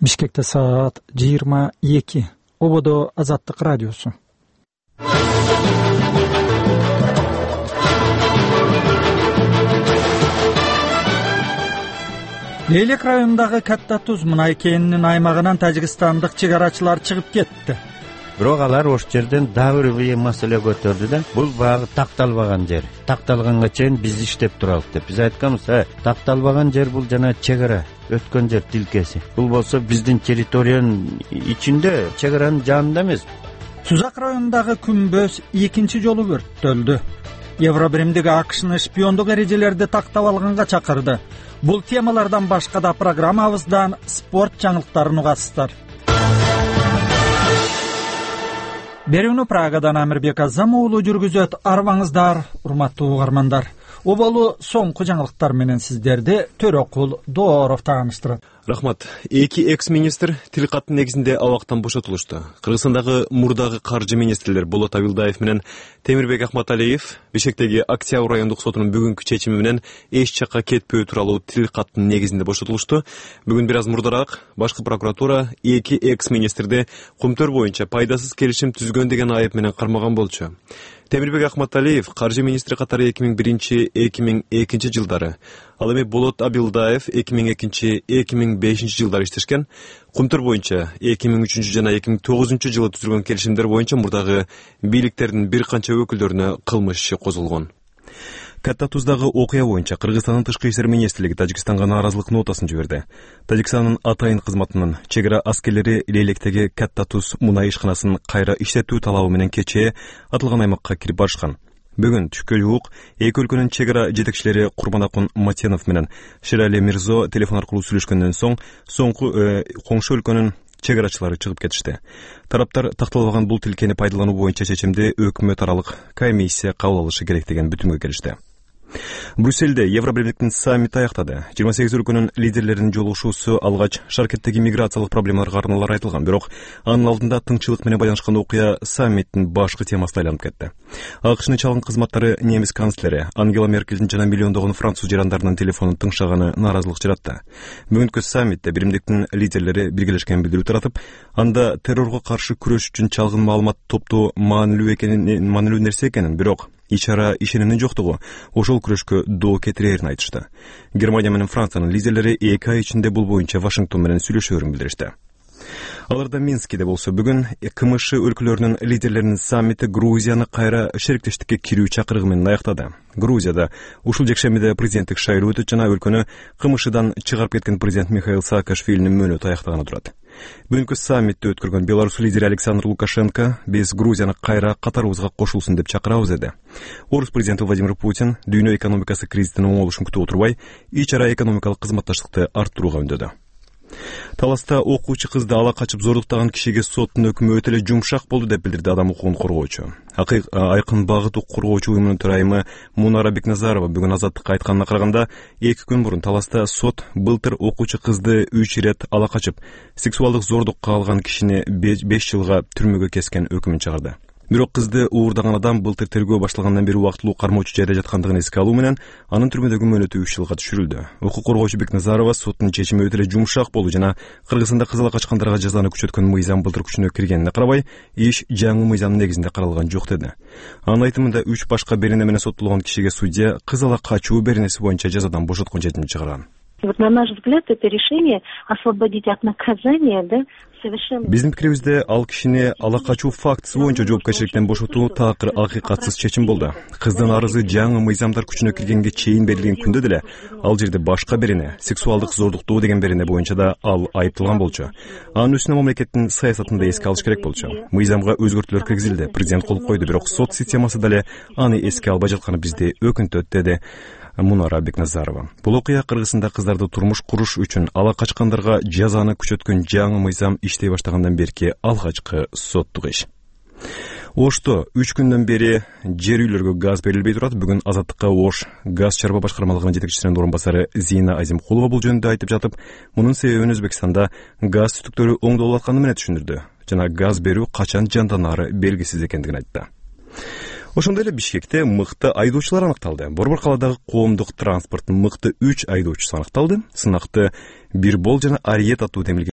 Бишкекте саат 22. Ободо Азаттык радиосу. Лейлек районундагы Катта Туз мунай кенинин аймагынан тажикстандык чек арачылар чыгып кетти. Бирок алар ош жерден дагы бир маселе көтөрдү да, бул багы такталбаган жер. Такталганга чейин биз иштеп туралык деп. Биз айтканбыз, такталбаган жер бул жана чек ара өткөн жер тилкеси. Бул болсо биздин территориянын ичинде, чек аранын жанында эмес. Сузак районундагы Күмбөз экинчи жолу өрттөлдү. Евробиримдик АКШнын шпиондук эрежелерди тактап алганга чакырды. Бул темалардан башка да программабыздан спорт жаңылыктарын угасыздар. Берүүнү Прагадан Амирбек Азам уулу жүргүзөт. Арбаңыздар, урматтуу угармандар. Оболу соңку жаңылыктар менен сиздерди Төрөкул Дооров тааныштырат. Рахмат. Эки экс-министр тил каттын негизинде абактан бошотулушту. Кыргызстандагы мурдагы каржы министрлер Болот Абилдаев менен Темирбек Ахматалиев Бишкектеги Октябрь райондук сотунун бүгүнкү чечими менен эч жакка кетпөө тууралуу тил каттын негизинде бошотулушту. Бүгүн бир аз мурдараак башкы прокуратура эки экс-министрди кумтөр боюнча пайдасыз келишим түзгөн деген айып менен кармаган болчу. Темирбек Ахматалиев каржы министри катары 2001-2002 жылдары, ал эми Болот Абилдаев 2002-2005 жылдары иштешкен. Кумтөр боюнча 2003 жана 2009 жылы түзүлгөн келишимдер боюнча мурдагы бийликтердин бир канча өкүлдөрүнө кылмыш иши козголгон. Катта Туздагы окуя боюнча Кыргызстандын тышкы иштер министрлиги Тажикстанга нааразылык нотасын жиберди. Тажикстандын атайын кызматынын чек ара аскерлери Лейлектеги Катта Туз мунай ишканасын кайра иштетүү талабы менен кечээ атылган аймакка кирип барышкан. Бүгүн түшкө жуук эки өлкөнүн чек ара жетекчилери Курбанакун Матенов менен Ширали Мирзо телефон аркылуу сүйлөшкөндөн соң коңшу өлкөнүн чек арачылары чыгып кетишти. Тараптар такталбаган бул тилкени пайдалануу боюнча чечимди өкмөт аралык комиссия кабыл алышы керек деген бүтүмгө келишти. Брюссельде Евробиримдиктин саммити аяктады. 28 өлкөнүн лидерлеринин жолугушуусу алгач Шаркеттеги миграциялык проблемаларга арналар айтылган, бирок анын алдында тынччылык менен байланышкан окуя саммиттин башкы темасына айланып кетти. АКШнын чалгын кызматтары немис канцлери Ангела Меркельдин жана миллиондогон француз жарандарынын телефонун тыңшаганы нааразылык жаратты. Бүгүнкү саммитте биримдиктин лидерлери биргелешкен билдирүү таратып, анда террорго каршы күрөш үчүн чалгын маалымат топтоо маанилүү нерсе экенин, бирок ич ара ишенимдин жоктугу ошол күрөшкө доо кетирерин айтышты. Германия менен Франциянын лидерлери 2 ай ичинде бул боюнча Вашингтон менен сүйлөшөөрүн билдиришти. Аларда Минскиде болсо бүгүн КМШ өлкөлөрүнүн лидерлеринин саммити Грузияны кайра шериктештикке кирүү чакырыгы менен аяктады. Грузияда ушул жекшембиде президенттик шайлоо өтөт жана өлкөнү КМШдан чыгарып кеткен президент Михаил Саакашвилинин мөөнөтү аяктаганы турат. Бүгүнкү саммитти өткөргөн Беларусь лидери Александр Лукашенко биз Грузияны кайра катарыбызга кошулсун деп чакырабыз деди. Орус президенти Владимир Путин дүйнө экономикасы кризисинин оңолушун күтүп отурбай, ич ара экономикалык кызматташтыкты арттырууга үндөдү. Таласта окуучу кызды ала качып зордуктаган кишиге соттун өкүмү өтө эле жумшак болду деп билдирди адам укугун коргоочу. Айкын багыт коргоочу уюмунун төрайымы Мунара Бекназарова бүгүн Азаттыкка айтканына караганда, 2 күн мурун Таласта сот былтыр окуучу кызды 3 ирет ала качып, сексуалдык зордукка алган кишини 5 жылга түрмөгө кескен өкүмүн чыгарды. Бирок кызды уурдаган адам былтыр тергөө башталгандан бери убактылуу кармоочу жайда жаткандыгын эске алуу менен анын түрмөдөгү мөөнөтү 3 жылга түшүрүлдү. Укук коргоочу Бекназарова соттун чечими өтө эле жумшак болду жана Кыргызстанда кыз ала качкандарга жазаны күчөткөн мыйзам былтыр күчүнө киргенине карабай, иш жаңы мыйзамдын негизинде каралган жок деди. Анын айтымында 3 башка берене менен соттолгон кишиге судья кыз ала качуу беренеси боюнча жазадан бошоткон чечим чыгарган. Вот на наш взгляд это решение освободить от наказания, да, совершенно. Биздин пикирибизде ал кишини ала качуу фактысы боюнча жоопкерчиликтен бошотуу такыр акыйкатсыз чечим болду. Кыздын арызы жаңы мыйзамдар күчүнө киргенге чейин берилген күндө деле ал жерде башка берене, сексуалдык зордуктоо деген берене боюнча да ал айыпталган болчу. Анын үстүнө мамлекеттин саясатын да эске алыш керек болчу. Мыйзамга өзгөртүүлөр киргизилди, президент кол койду, бирок сот системасы деле аны эске албай жатканы бизди өкүнтөт, деди Мунара Бекназарова. Бул окуя Кыргызстанда кыздарды турмуш куруш үчүн ала качкандарга жазаны күчөткөн жаңы мыйзам иштей баштагандан берки алгачкы соттук иш. Ошто 3 күндөн бери жер үйлөргө газ берилбей турат. Бүгүн Азаттыкка Ош газ чарба башкармалыгынын жетекчисинин орун басары Зина Азимкулова бул жөнүндө айтып жатып, мунун себебин Өзбекстанда газ түтүктөрү оңдолуп атканы менен түшүндүрдү жана газ берүү качан жанданары белгисиз экендигин айтты. Ошондой эле Бишкекте мыкты айдоочулар аныкталды. Борбор калаадагы коомдук транспорттун мыкты 3 айдоочусу аныкталды. Сынакты Бирбол жана Ариет аттуу демилген